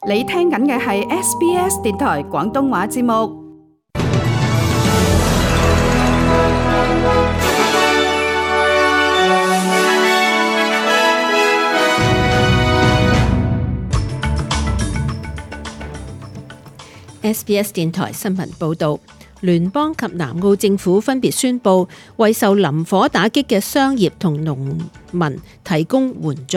你聽緊嘅係 SBS 電台廣東話節目。SBS 電台新聞報導，聯邦及南澳政府分別宣布為受林火打擊嘅商業同農民提供援助。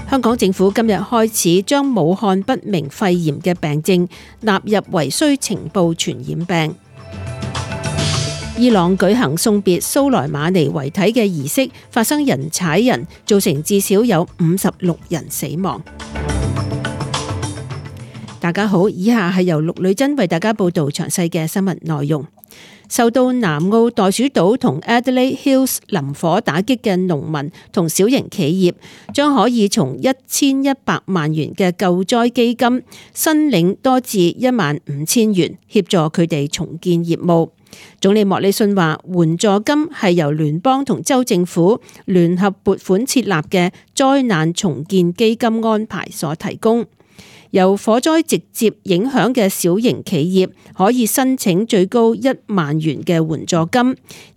香港政府今日開始將武漢不明肺炎嘅病症納入為需呈報傳染病。伊朗舉行送別蘇萊馬尼遺體嘅儀式，發生人踩人，造成至少有56人死亡。大家好，以下係由陸女珍為大家報道詳細嘅新聞內容。受到南澳袋鼠島同 Adelaide Hills 林火打擊嘅農民同小型企業，將可以從1100萬元嘅救災基金申領多至15000元，協助佢哋重建業務。總理莫里遜話，援助金係由聯邦同州政府聯合撥款設立嘅災難重建基金安排所提供。由火災直接影響嘅小型企業可以申請最高1萬元嘅援助金，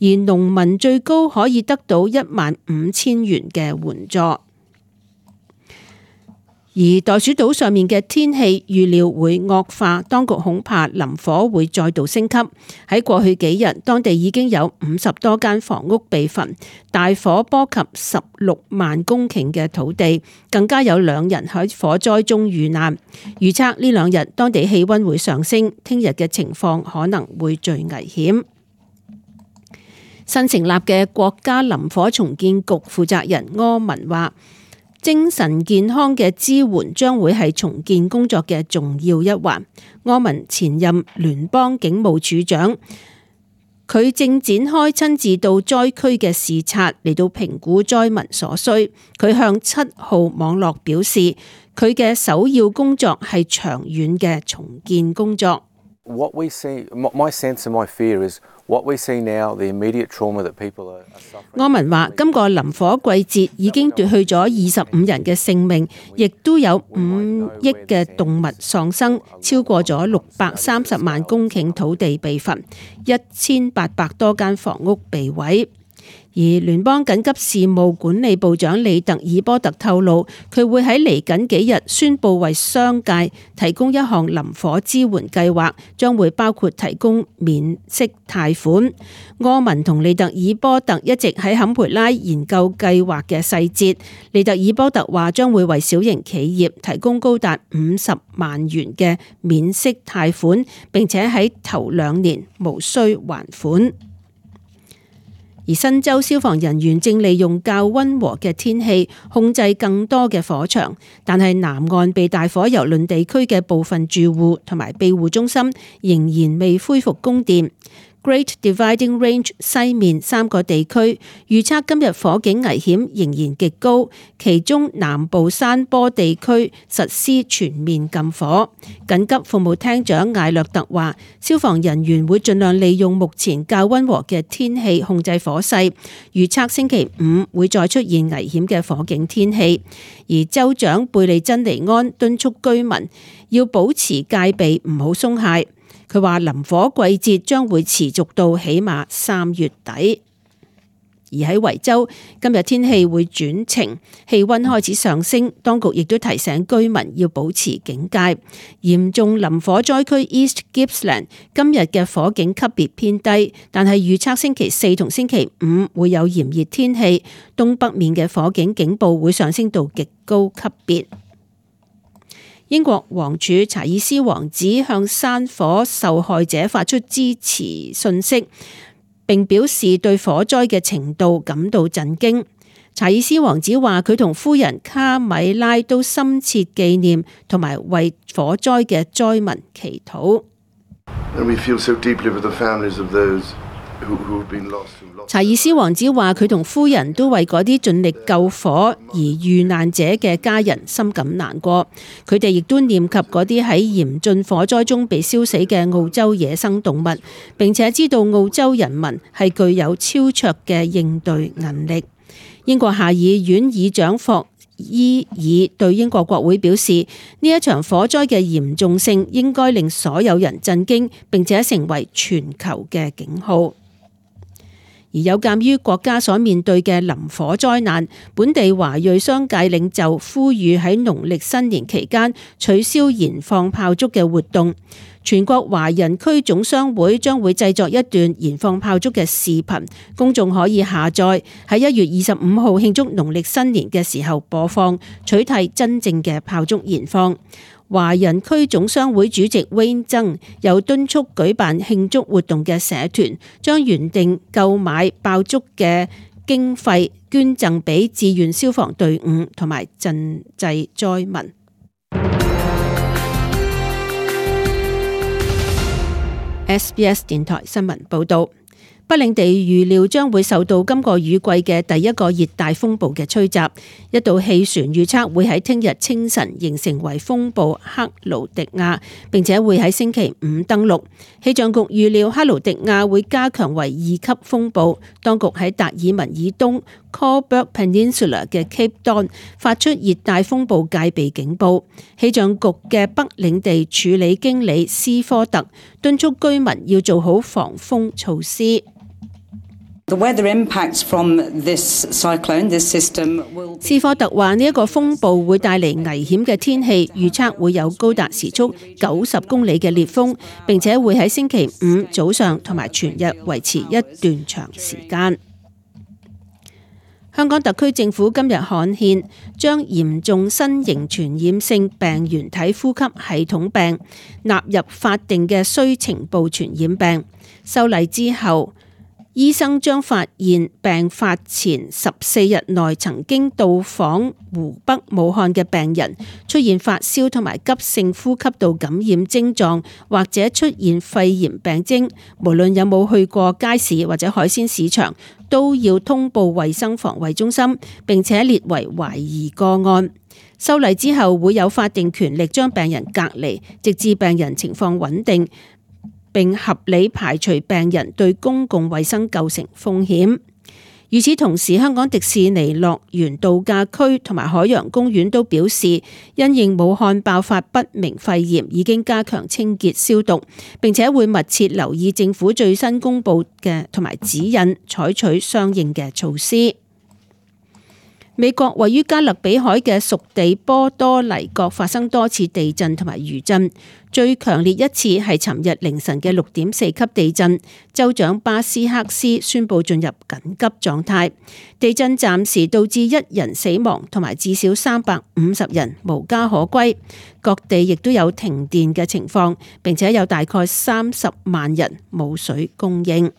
而農民最高可以得到15000元嘅援助。而袋鼠島上面嘅天氣預料會惡化，當局恐怕林火會再度升級。喺過去幾日，當地已經有50多間房屋被焚，大火波及16萬公頃嘅土地，更加有2人喺火災中遇難。預測呢2日當地氣溫會上升，聽日嘅情況可能會最危險。新成立嘅國家林火重建局負責人柯文話，精神健康嘅支援將會係重建工作嘅重要一環。柯文前任聯邦警務處長，佢正展開親自到災區嘅視察，嚟到評估災民所需。佢向7號網絡表示，佢嘅首要工作係長遠嘅重建工作。What we see, my sense and my fear is what we see now, the immediate trauma that people are suffering. 柯文話，今個林火季節已經奪去咗25人嘅性命，亦都有5億嘅動物喪生，超過咗630萬公頃土地被焚，1800多間房屋被毀。而聯邦緊急事務管理部長利特爾波特透露，佢會喺嚟緊幾日宣布為商界提供一項林火支援計劃，將會包括提供免息貸款。柯文同利特爾波特一直喺坎培拉研究計劃嘅細節。利特爾波特話將會為小型企業提供高達50萬元嘅免息貸款，並且喺頭2年無需還款。而新州消防人員正利用較溫和嘅天氣控制更多嘅火場，但係南岸被大火蹂躪地區嘅部分住戶同埋庇護中心仍然未恢復供電。Great Dividing Range 西面3個地區預測今日火警危險仍然極高，其中南部山坡地區實施全面禁火。緊急服務廳長艾略特話，消防人員會盡量利用目前較溫和嘅天氣控制火勢，預測星期5會再出現危險嘅火警天氣。而州長貝利珍尼安敦促居民要保持戒備，唔好鬆懈。佢話林火季節將會持續到起碼3月底。而喺維州，今日天氣會轉晴，氣溫開始上升，當局亦都提醒居民要保持警戒。嚴重林火災區 East Gippsland 今日嘅火警級別偏低，但係預測星期4同星期5會有炎熱天氣，東北面嘅火警警報會上升到極高級別。英國王儲查爾斯王子向山火受害者發出支持訊息，並表示對火災嘅程度感到震驚。查爾斯王子話，佢同夫人卡米拉都深切紀念同埋為火災嘅災民祈禱。查爾斯王子話，佢同夫人都為嗰啲盡力救火而遇難者嘅家人深感難過。佢哋亦都念及嗰啲喺嚴峻火災中被燒死嘅澳洲野生動物，並且知道澳洲人民係具有超卓嘅應對能力。英國下議院議長霍伊爾對英國國會表示，呢一場火災嘅嚴重性應該令所有人震驚，並且成為全球嘅警號。而有鑑於國家所面對嘅林火災難，本地華裔商界領袖呼籲喺農曆新年期間取消燃放炮竹嘅活動。全國華人區總商會將會製作一段燃放炮竹嘅視頻，公眾可以下載，喺1月25號慶祝農曆新年嘅時候播放，取締真正嘅炮竹燃放。華人區總商會主席 Wayne 曾又敦促舉辦慶祝活動嘅社團，將原定購買爆竹嘅經費捐贈俾志願消防隊伍同埋賑濟災民。SBS 電台新聞報道，北領地預料將會受到今個雨季嘅第一個熱帶風暴嘅吹襲，一道氣旋預測會喺聽日清晨形成為風暴克勞迪亞，並且會喺星期五登陸。氣象局預料克勞迪亞會加強為2級風暴，當局喺達爾文以東 Cobourg Peninsula 嘅 Cape Don 發出熱帶風暴戒備警報。氣象局嘅北領地處理經理斯科特敦促居民要做好防風措施。斯科特話：呢一個風暴會帶嚟危險嘅天氣，預測會有高達時速90公里嘅烈風，並且會喺星期五早上同埋全日維持一段長時間。香港特區政府今日刊憲，將嚴重新型傳染性病原體呼吸系統病納入法定嘅須呈報傳染病。修例之後，醫生將發現病發前14日內曾經到訪湖北武漢嘅病人出現發燒同埋急性呼吸道感染症狀，或者出現肺炎病徵，無論有冇去過街市或者海鮮市場，都要通報衛生防衛中心，並且列為懷疑個案。修例之後會有法定權力將病人隔離，直至病人情況穩定，並合理排除病人對公共衛生構成風險。與此同時，香港迪士尼樂園度假區同埋海洋公園都表示，因應武漢爆發不明肺炎，已經加強清潔消毒，並且會密切留意政府最新公布嘅同埋指引，採取相應嘅措施。美國位於加勒比海嘅屬地波多黎各發生多次地震同埋餘震，最強烈一次係尋日凌晨嘅6.4級地震。州長巴斯克斯宣布進入緊急狀態。地震暫時導致1人死亡，同埋至少350人無家可歸。各地亦都有停電嘅情況，並且有大概30萬人冇水供應。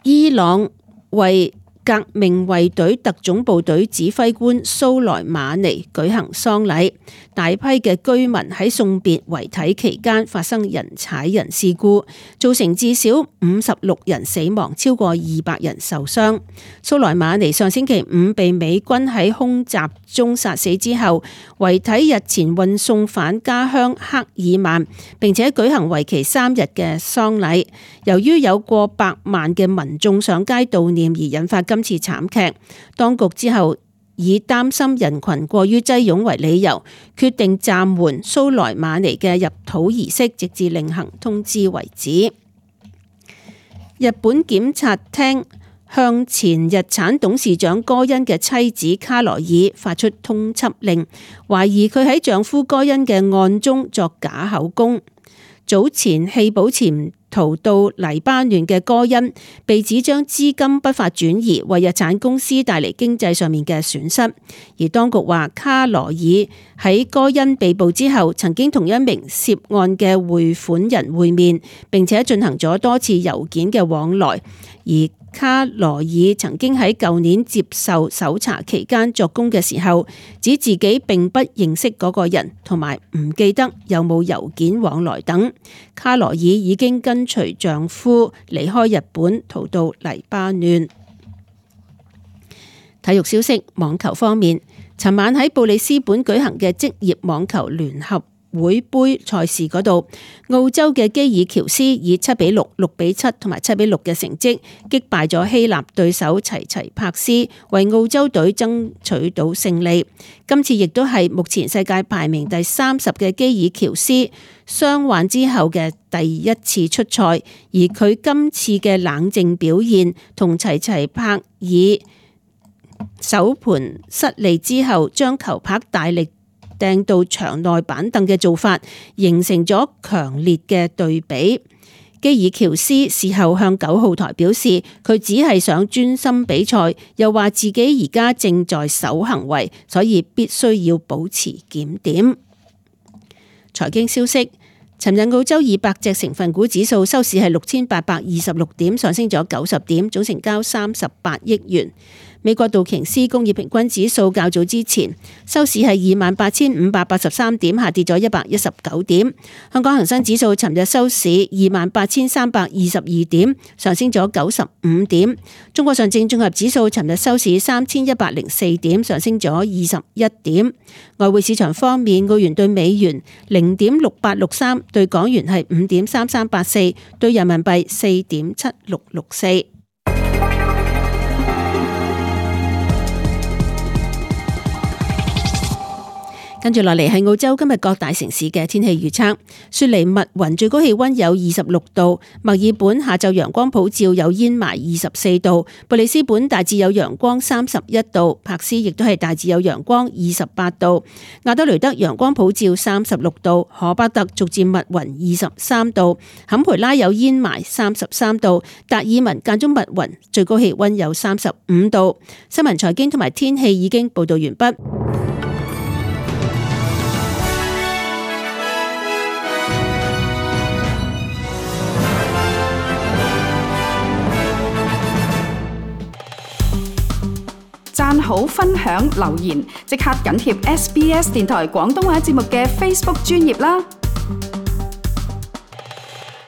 伊朗為革命衛隊特種部隊指揮官蘇萊馬尼舉行喪禮，大批嘅居民喺送別遺體期間發生人踩人事故，造成至少56人死亡，超過200人受傷。蘇萊馬尼上星期五被美軍喺空襲中殺死之後，遺體日前運送返家鄉克爾曼，並且舉行為期3日嘅喪禮。由於有過百萬嘅民眾上街悼念而引發今次慘劇，當局之後以擔心人群過於擠擁為理由，決定暫緩蘇萊馬尼嘅入土儀式，直至另行通知為止。日本檢察廳向前日產董事長戈恩嘅妻子卡羅爾發出通緝令，懷疑佢喺丈夫戈恩嘅案中作假口供。早前棄保潛逃到黎巴嫩嘅戈恩被指將資金不法轉移，為日產公司帶嚟經濟上面嘅損失。而當局話，卡羅爾喺戈恩被捕之後，曾經同一名涉案嘅匯款人會面，並且進行咗多次郵件嘅往來。而卡羅爾曾經喺舊年接受搜查期間作供嘅時候，指自己並不認識嗰個人，同埋唔記得有冇郵件往來等。卡羅爾已經跟隨丈夫離開日本，逃到黎巴嫩。體育消息，網球方面，尋晚喺布里斯本舉行嘅職業網球聯合會杯賽事嗰度，澳洲嘅基爾喬斯以7-6、6-7同埋7-6嘅成績擊敗咗希臘對手齊齊柏斯，為澳洲隊爭取到勝利。今次亦都係目前世界排名第30嘅基爾喬斯傷患之後嘅第一次出賽，而佢今次嘅冷靜表現同齊齊柏爾首盤失利之後將球拍大力掟到場內板凳嘅做法，形成咗強烈嘅對比。基爾喬斯事後向9號台表示，佢只係想專心比賽，又話自己而家正在守行為，所以必須要保持檢點。財經消息，尋日澳洲200隻成分股指數收市係6826點，上升咗90點，總成交38億元。美國道瓊斯工業平均指數較早之前收市係28,583點，下跌咗119點。香港恒生指數尋日收市28,322點，上升咗95點。中國上證綜合指數尋日收市3,104點，上升咗21點。外匯市場方面，澳元對美元0.6863，對港元係5.3384，對人民幣4.7664。跟住落嚟係澳洲今日各大城市嘅天氣預測。雪梨密雲最高氣溫有26度，墨爾本下晝陽光普照有煙霾24度，布里斯本大致有陽光31度，柏斯亦都係大致有陽光28度，亞德雷德陽光普照36度，荷巴特逐漸密雲23度，坎培拉有煙霾33度，達爾文間中密雲最高氣溫有35度。新聞財經同埋天氣已經報道完畢。讚好、分享、留言，即刻緊貼SBS 電台廣東話節目嘅 Facebook 專頁啦！